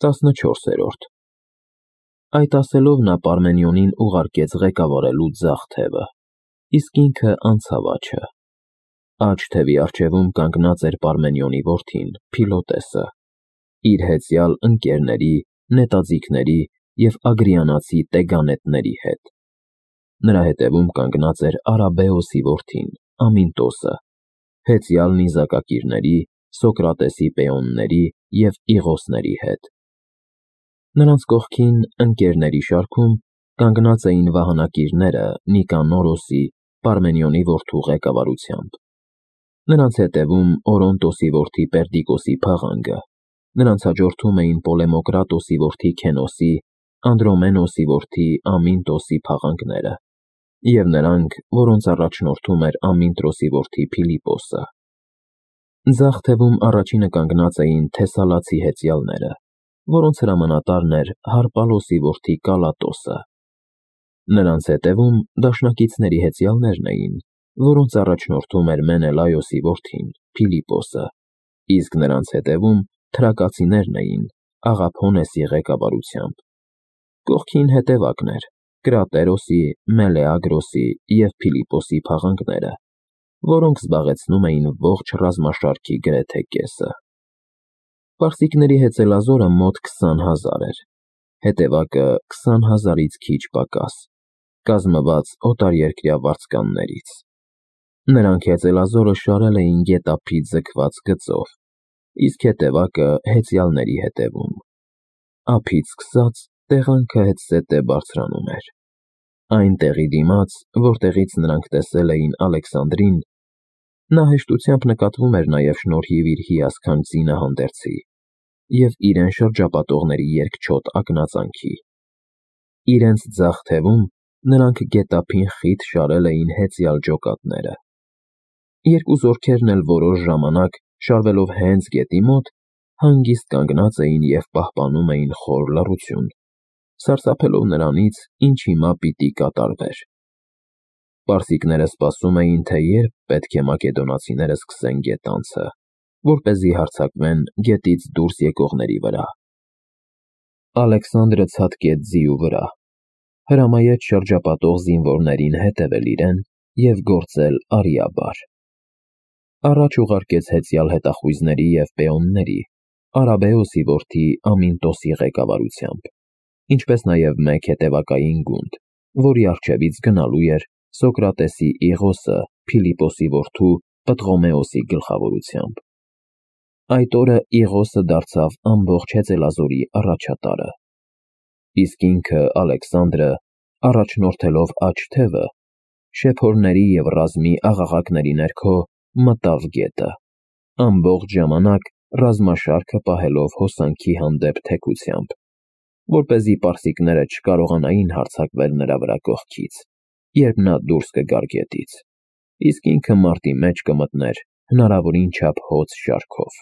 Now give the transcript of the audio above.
14-րդ Այդ ասելով նա Պարմենիոնին ուղարկեց ղեկավարելու ձախ թևը, իսկ ինքը անցավ աջը։ Աջ թևի առջևում կանգնած էր Պարմենիոնի որդին Փիլոտեսը, իր հեծյալ ընկերների, նետաձիգների և ագրիանացի տեգանետների հետ։ Նրա հետևում կանգնած էր Արաբեոսի որդին Ամինտոսը, հեծյալ նիզակակիրների, Սոկրատեսի պեոնների և Իղոսների հետ։ Նրանց կողքին, ընկերների շարքում, կանգնած էին վահանակիրները Նիկանորոսի, Պարմենիոնի որդու ղեկավարությամբ։ Նրանց հետևում Օրոնտոսի որդի Պերդիկոսի փաղանգը, նրանց հաջորդում էին Պոլեմոկրատոսի որդի Քենոսի, Անդրոմենոսի որդի Ամինտոսի փաղանգները, և նրանք, որոնց առաջնորդում էր Ամինտրոսի որդի Փիլիպոսը։ Ձախ թևում առաջինը կանգնած էին Թեսալացի հեծյալները, որոնց հրամանատարն էր Հարպալոսի որդի Կալատոսը։ Նրանց հետևում դաշնակիցների հեծյալներն էին, որոնց առաջնորդում էր Մենելայոսի որդին Փիլիպոսը, իսկ նրանց հետևում թրակացիներն էին Աղափոնեսի ղեկավարությամբ։ Կողքին հետևակն էր Կրատերոսի, Մելեագրոսի և Փիլիպոսի փաղանգները, որոնք զբաղեցնում էին ողջ ռազմաշարքի գրեթե կեսը։ Պարսիկների հեծելազորը մոտ 20,000 էր, հետևակը 20,000-ից քիչ պակաս, կազմված օտարերկրյա վարձկաններից։ Նրանք հեծելազորը շարել էին գետափից ձգված գծով, իսկ հետևակը հեծյալների հետևում։ Ափից սկսած տեղանքը հետզհետե բարձրանում էր։ Այն տեղի դիմաց, որտեղից նրանք տեսել էին Ալեքսանդրին, նա հեշտությամբ նկատվում էր նաև շնորհիվ իր հիասքանչ զինահանդերձի և իրեն շրջապատողների երկչոտ ակնածանքի։ Իրենց ձախ թևում նրանք գետափին խիտ շարել էին հեծյալ ջոկատները։ Երկու զորքերն էլ որոշ ժամանակ, շարվելով հենց գետի մոտ, հանգիստ կանգնած էին և պահպանում էին խոր լռություն, սարսափելով նրանից, ինչ հիմա պիտի կատարվեր։ Պարսիկները սպասում էին, թե երբ պետք է մակեդոնացիները սկսեն գետանցը, որպեսզի հարձակվեն գետից դուրս եկողների վրա։ Ալեքսանդրը ցատկեց ձիու վրա, հրամայեց շրջապատող զինվորներին հետևել իրեն և գործել արիաբար։ Առաջ ուղարկեց հեծյալ հետախույզների և պեոնների, Արաբեոսի որդի Ամինտոսի ղեկավարությամբ, ինչպես նաև մեկ հետևակային գունդ, որի առջևից գնալու էր Սոկրատեսի Իղոսը Փիլիպոսի որդու Պտղոմեոսի գլխավորությամբ։ Այդ օրը Իղոսը դարձավ ամբողջ հեծելազորի առաջատարը, իսկ ինքը Ալեքսանդրը, առաջնորդելով աջ թևը, շեփորների և ռազմի աղաղակների ներքո մտավ գետը, ամբողջ ժամանակ ռազմաշարքը պահելով հոսանքի հանդեպ թեքությամբ, որպեսզի պարսիկները չկարողանային հարձակվել նրա վրա կողքից, երբ նա դուրս կգար գետից, իսկ ինքը մարտի մեջ կմտներ հնարավորին չափ հոծ շարքով։